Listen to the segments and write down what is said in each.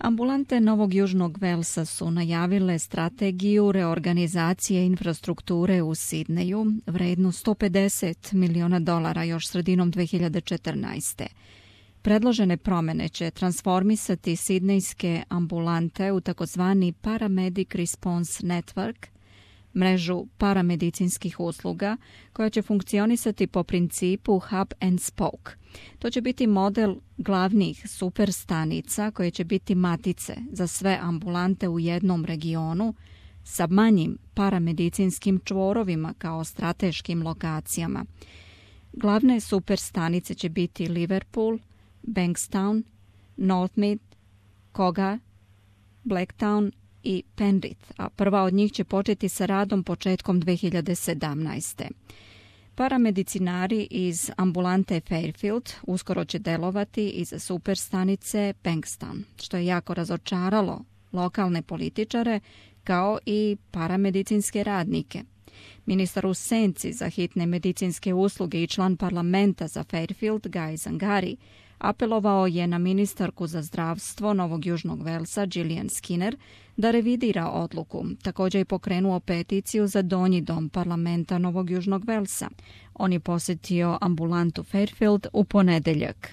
Ambulante Novog Južnog Velsa su najavile strategiju reorganizacije infrastrukture u Sidneju vrednu $150 miliona još sredinom 2014. Predložene promjene će transformisati sidnejske ambulante u takozvani Paramedic Response Network, mrežu paramedicinskih usluga koja će funkcionisati po principu hub and spoke. To će biti model glavnih superstanica koje će biti matice za sve ambulante u jednom regionu sa manjim paramedicinskim čvorovima kao strateškim lokacijama. Glavne superstanice će biti Liverpool, Bankstown, Northmead, Cogar, Blacktown i Penrith, a prva od njih će početi sa radom početkom 2017. Paramedicinari iz ambulante Fairfield uskoro će delovati iz superstanice Bankstown, što je jako razočaralo lokalne političare kao i paramedicinske radnike. Ministar u senci za hitne medicinske usluge i član parlamenta za Fairfield, Guy Zangari, apelovao je na ministarku za zdravstvo Novog Južnog Velsa, Gillian Skinner, da revidira odluku. Također je pokrenuo peticiju za donji dom parlamenta Novog Južnog Velsa. On je posjetio ambulantu Fairfield u ponedeljak.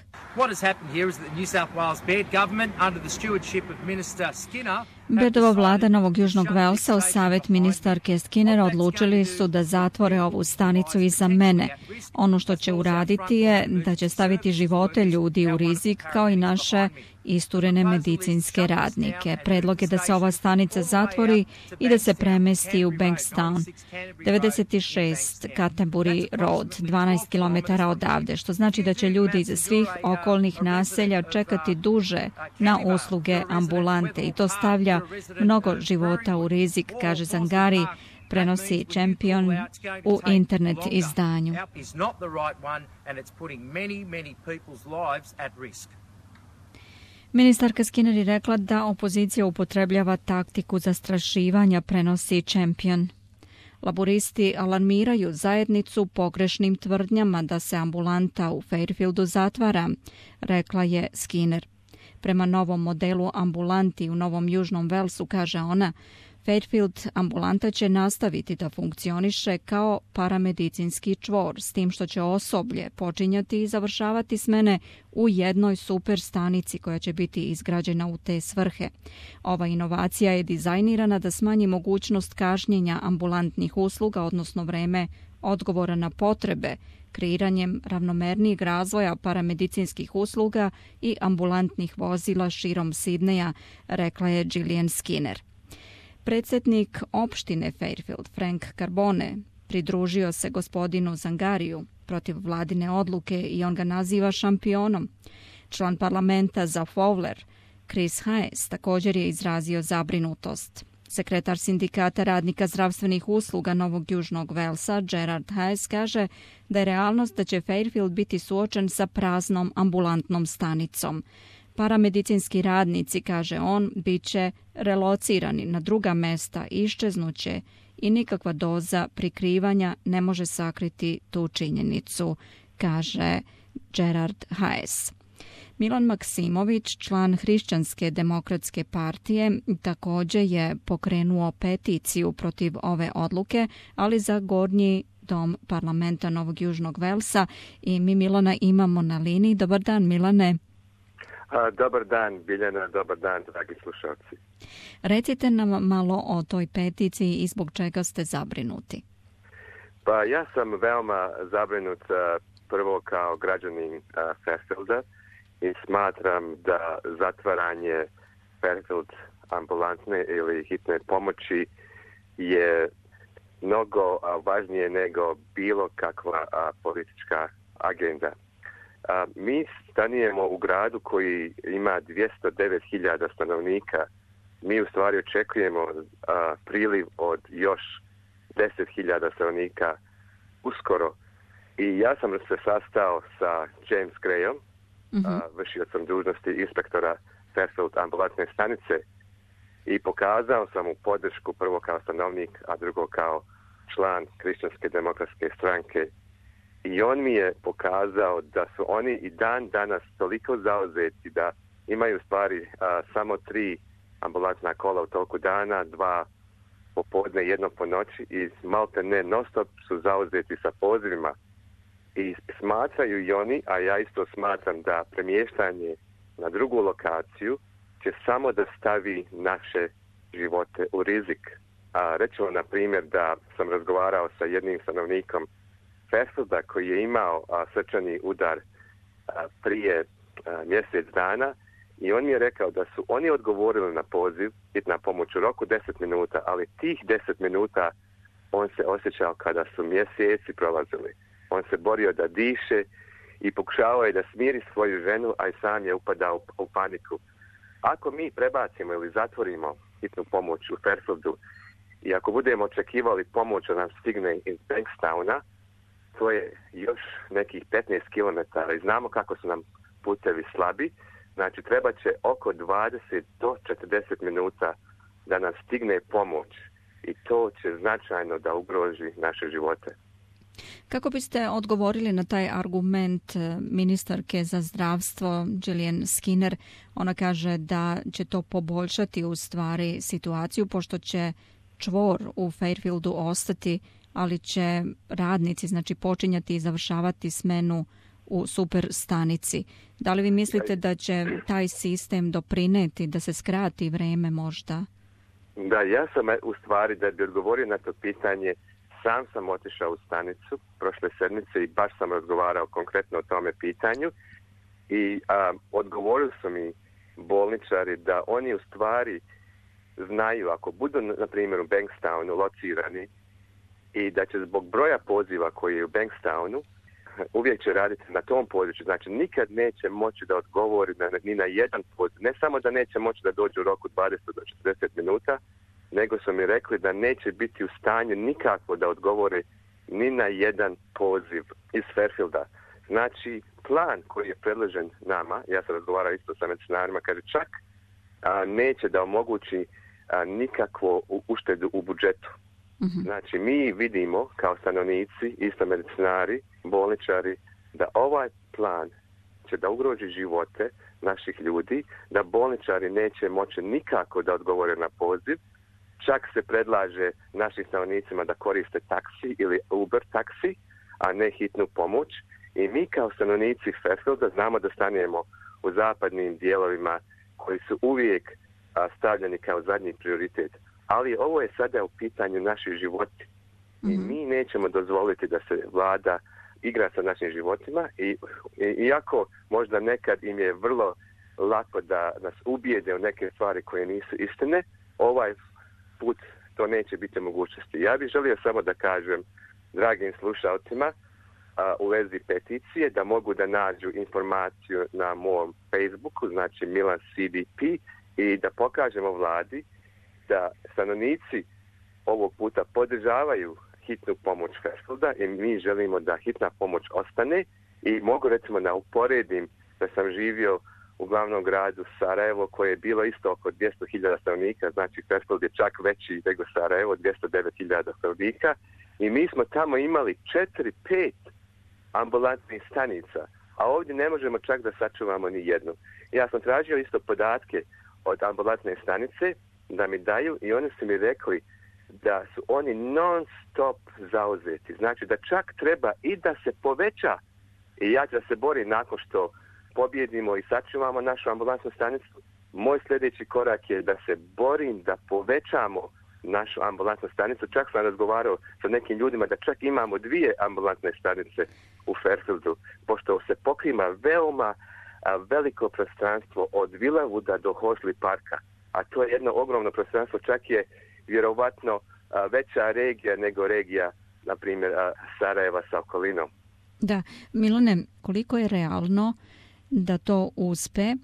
Bedova vlada Novog Južnog Velsa uz savjet ministarke Skinner odlučili su da zatvore ovu stanicu iza mene. Ono što će uraditi je da će staviti živote ljudi u rizik kao i naše isturene medicinske radnike. Predlog je da se ova stanica zatvori i da se premesti u Bankstown, 96 Canterbury Road, 12 km odavde, što znači da će ljudi iz svih okolnih naselja čekati duže na usluge ambulante i to stavlja mnogo života u rizik, kaže Zangari, prenosi Champion u internet izdanju. Ministarka Skinner je rekla da opozicija upotrebljava taktiku zastrašivanja, prenosi Champion. Laboristi alarmiraju zajednicu pogrešnim tvrdnjama da se ambulanta u Fairfieldu zatvara, rekla je Skinner. Prema novom modelu ambulanti u Novom Južnom Velsu, kaže ona, Fairfield ambulanta će nastaviti da funkcioniše kao paramedicinski čvor, s tim što će osoblje počinjati i završavati smene u jednoj superstanici koja će biti izgrađena u te svrhe. Ova inovacija je dizajnirana da smanji mogućnost kašnjenja ambulantnih usluga, odnosno vreme odgovora na potrebe, kreiranjem ravnomernijeg razvoja paramedicinskih usluga i ambulantnih vozila širom Sidneja, rekla je Gillian Skinner. Predsjednik opštine Fairfield, Frank Carbone, pridružio se gospodinu Zangariju protiv vladine odluke i on ga naziva šampionom. Član parlamenta za Fowler, Chris Hayes, također je izrazio zabrinutost. Sekretar sindikata radnika zdravstvenih usluga Novog Južnog Velsa, Gerard Hayes, kaže da je realnost da će Fairfield biti suočen sa praznom ambulantnom stanicom. Paramedicinski radnici, kaže on, bit će relocirani na druga mesta, iščeznuće i nikakva doza prikrivanja ne može sakriti tu činjenicu, kaže Gerard Hayes. Milan Maksimović, član Hrišćanske demokratske partije, također je pokrenuo peticiju protiv ove odluke, ali za gornji dom parlamenta Novog Južnog Velsa i mi Milana imamo na liniji. Dobar dan, Milane. Dobar dan, Biljana, dobar dan, dragi slušalci. Recite nam malo o toj peticiji i zbog čega ste zabrinuti. Pa ja sam veoma zabrinut prvo kao građanin Fairfielda i smatram da zatvaranje Fairfield ambulantne ili hitne pomoći je mnogo važnije nego bilo kakva politička agenda. Mi stanujemo u gradu koji ima 209.000 stanovnika. Mi u stvari očekujemo priliv od još 10.000 stanovnika uskoro. I ja sam se sastao sa James Grayom, vršio sam dužnosti inspektora Fairfield ambulantne stanice i pokazao sam mu podršku prvo kao stanovnik, a drugo kao član Hrišćanske demokratske stranke. I on mi je pokazao da su oni i dan danas toliko zauzeti da imaju stvari samo 3 ambulantna kola u toku dana, 2 popodne, 1 po noći i malte ne non-stop su zauzeti sa pozivima. I smatraju i oni, a ja isto smatram da premještanje na drugu lokaciju će samo da stavi naše živote u rizik. Rećemo, na primjer, da sam razgovarao sa jednim stanovnikom Fairfielda koji je imao srčani udar prije mjesec dana i on mi je rekao da su oni odgovorili na poziv hitna pomoć u roku 10 minuta, ali tih 10 minuta on se osjećao kada su mjeseci prolazili. On se borio da diše i pokušavao je da smiri svoju ženu, a i sam je upadao u paniku. Ako mi prebacimo ili zatvorimo hitnu pomoć u Fairfieldu i ako budemo očekivali pomoć da nam stigne iz Bankstowna, to je još nekih 15 km i znamo kako su nam putevi slabi. Znači, treba će oko 20 do 40 minuta da nam stigne pomoć i to će značajno da ugroži naše živote. Kako biste odgovorili na taj argument ministarke za zdravstvo Gillian Skinner? Ona kaže da će to poboljšati u stvari situaciju pošto će čvor u Fairfieldu ostati, ali će radnici počinjati i završavati smenu u super stanici. Da li vi mislite da će taj sistem doprineti da se skrati vreme možda? Da, ja sam u stvari da bi odgovorio na to pitanje, sam sam otišao u stanicu prošle sedmice i baš sam razgovarao konkretno o tome pitanju i odgovorili su mi bolničari da oni u stvari znaju ako budu na primjer u Bankstownu locirani i da će zbog broja poziva koji je u Bankstownu uvijek će raditi na tom području. Znači nikad neće moći da odgovori ni na jedan poziv. Ne samo da neće moći da dođe u roku 20 do 40 minuta, nego su mi rekli da neće biti u stanju nikako da odgovore ni na jedan poziv iz Fairfielda. Znači, plan koji je predložen nama, ja sam razgovarao isto sa medicinarima, kaže čak neće da omogući nikakvu uštedu u budžetu. Mm-hmm. Znači, mi vidimo kao stanovnici, isto medicinari, bolničari, da ovaj plan će da ugroži živote naših ljudi, da bolničari neće moći nikako da odgovore na poziv. Čak se predlaže našim stanovnicima da koriste taksi ili Uber taksi, a ne hitnu pomoć. I mi kao stanovnici Fairfielda znamo da stanemo u zapadnim dijelovima koji su uvijek stavljeni kao zadnji prioritet. Ali ovo je sada u pitanju naših životi. I mi nećemo dozvoliti da se vlada igra sa našim životima i iako možda nekad im je vrlo lako da nas ubijede u neke stvari koje nisu istine, ovaj put to neće biti mogućnosti. Ja bih želio samo da kažem dragim slušalcima u vezi peticije da mogu da nađu informaciju na mom Facebooku, znači Milan CDP, i da pokažemo vladi da stanovnici ovog puta podržavaju hitnu pomoć Fairfielda i mi želimo da hitna pomoć ostane i mogu recimo da uporedim da sam živio u glavnom gradu Sarajevo koje je bilo isto oko 200.000 stanovnika, znači Fairfield je čak veći nego Sarajevo, 209.000 stanovnika i mi smo tamo imali 4-5 ambulantnih stanica, a ovdje ne možemo čak da sačuvamo ni jednu. Ja sam tražio isto podatke od ambulantne stanice da mi daju i oni su mi rekli da su oni non stop zauzeti. Znači da čak treba i da se poveća i ja ću da se borim nakon što pobjedimo i sačuvamo našu ambulantnu stanicu. Moj sljedeći korak je da se borim da povećamo našu ambulantnu stanicu. Čak sam razgovarao sa nekim ljudima da čak imamo 2 ambulantne stanice u Fairfieldu, pošto se pokrima veoma veliko prostranstvo od Villavooda do Horsley Parka. A to je jedno ogromno prostranstvo, čak je vjerovatno veća regija nego regija, na primjer, Sarajeva sa okolinom. Da, Milane, koliko je realno da to uspe,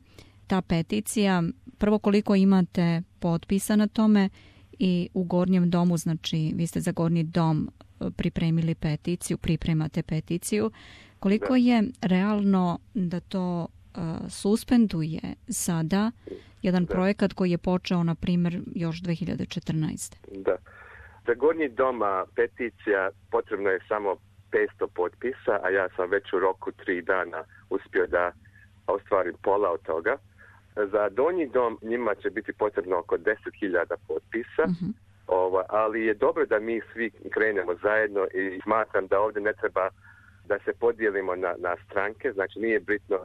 ta peticija? Prvo, koliko imate potpisa na tome i u Gornjem domu, znači vi ste za Gornji dom pripremili peticiju, pripremate peticiju. Koliko je realno da to suspenduje sada jedan projekat koji je počeo, na primjer, još 2014. Da. Za Gornji dom peticija potrebno je samo 500 potpisa, a ja sam već u roku 3 dana uspio da ostvarim pola od toga. Za donji dom njima će biti potrebno oko 10.000 potpisa, ali je dobro da mi svi krenemo zajedno i smatram da ovdje ne treba da se podijelimo na stranke, znači nije bitno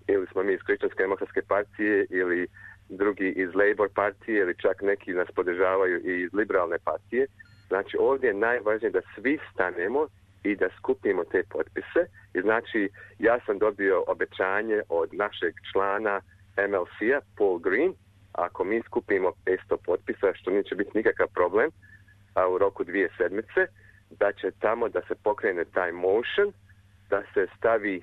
ili smo mi iz Kršćanske demokratske partije ili drugi iz Labour partije ili čak neki nas podržavaju i iz liberalne partije. Znači ovdje je najvažnije da svi stanemo i da skupimo te potpise. I znači ja sam dobio obećanje od našeg člana MLC-a, Paul Green, ako mi skupimo 500 potpisa, što neće biti nikakav problem, a u roku 2 sedmice, da će tamo da se pokrene taj motion, da se stavi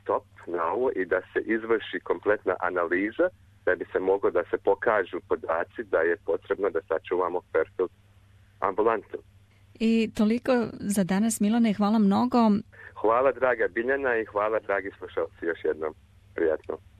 stop na ovo i da se izvrši kompletna analiza, da bi se moglo da se pokažu podaci da je potrebno da sačuvamo Fairfield ambulantu. I toliko za danas, Milane, hvala mnogo. Hvala draga Biljana i hvala dragi slušalci još jednom. Prijatno.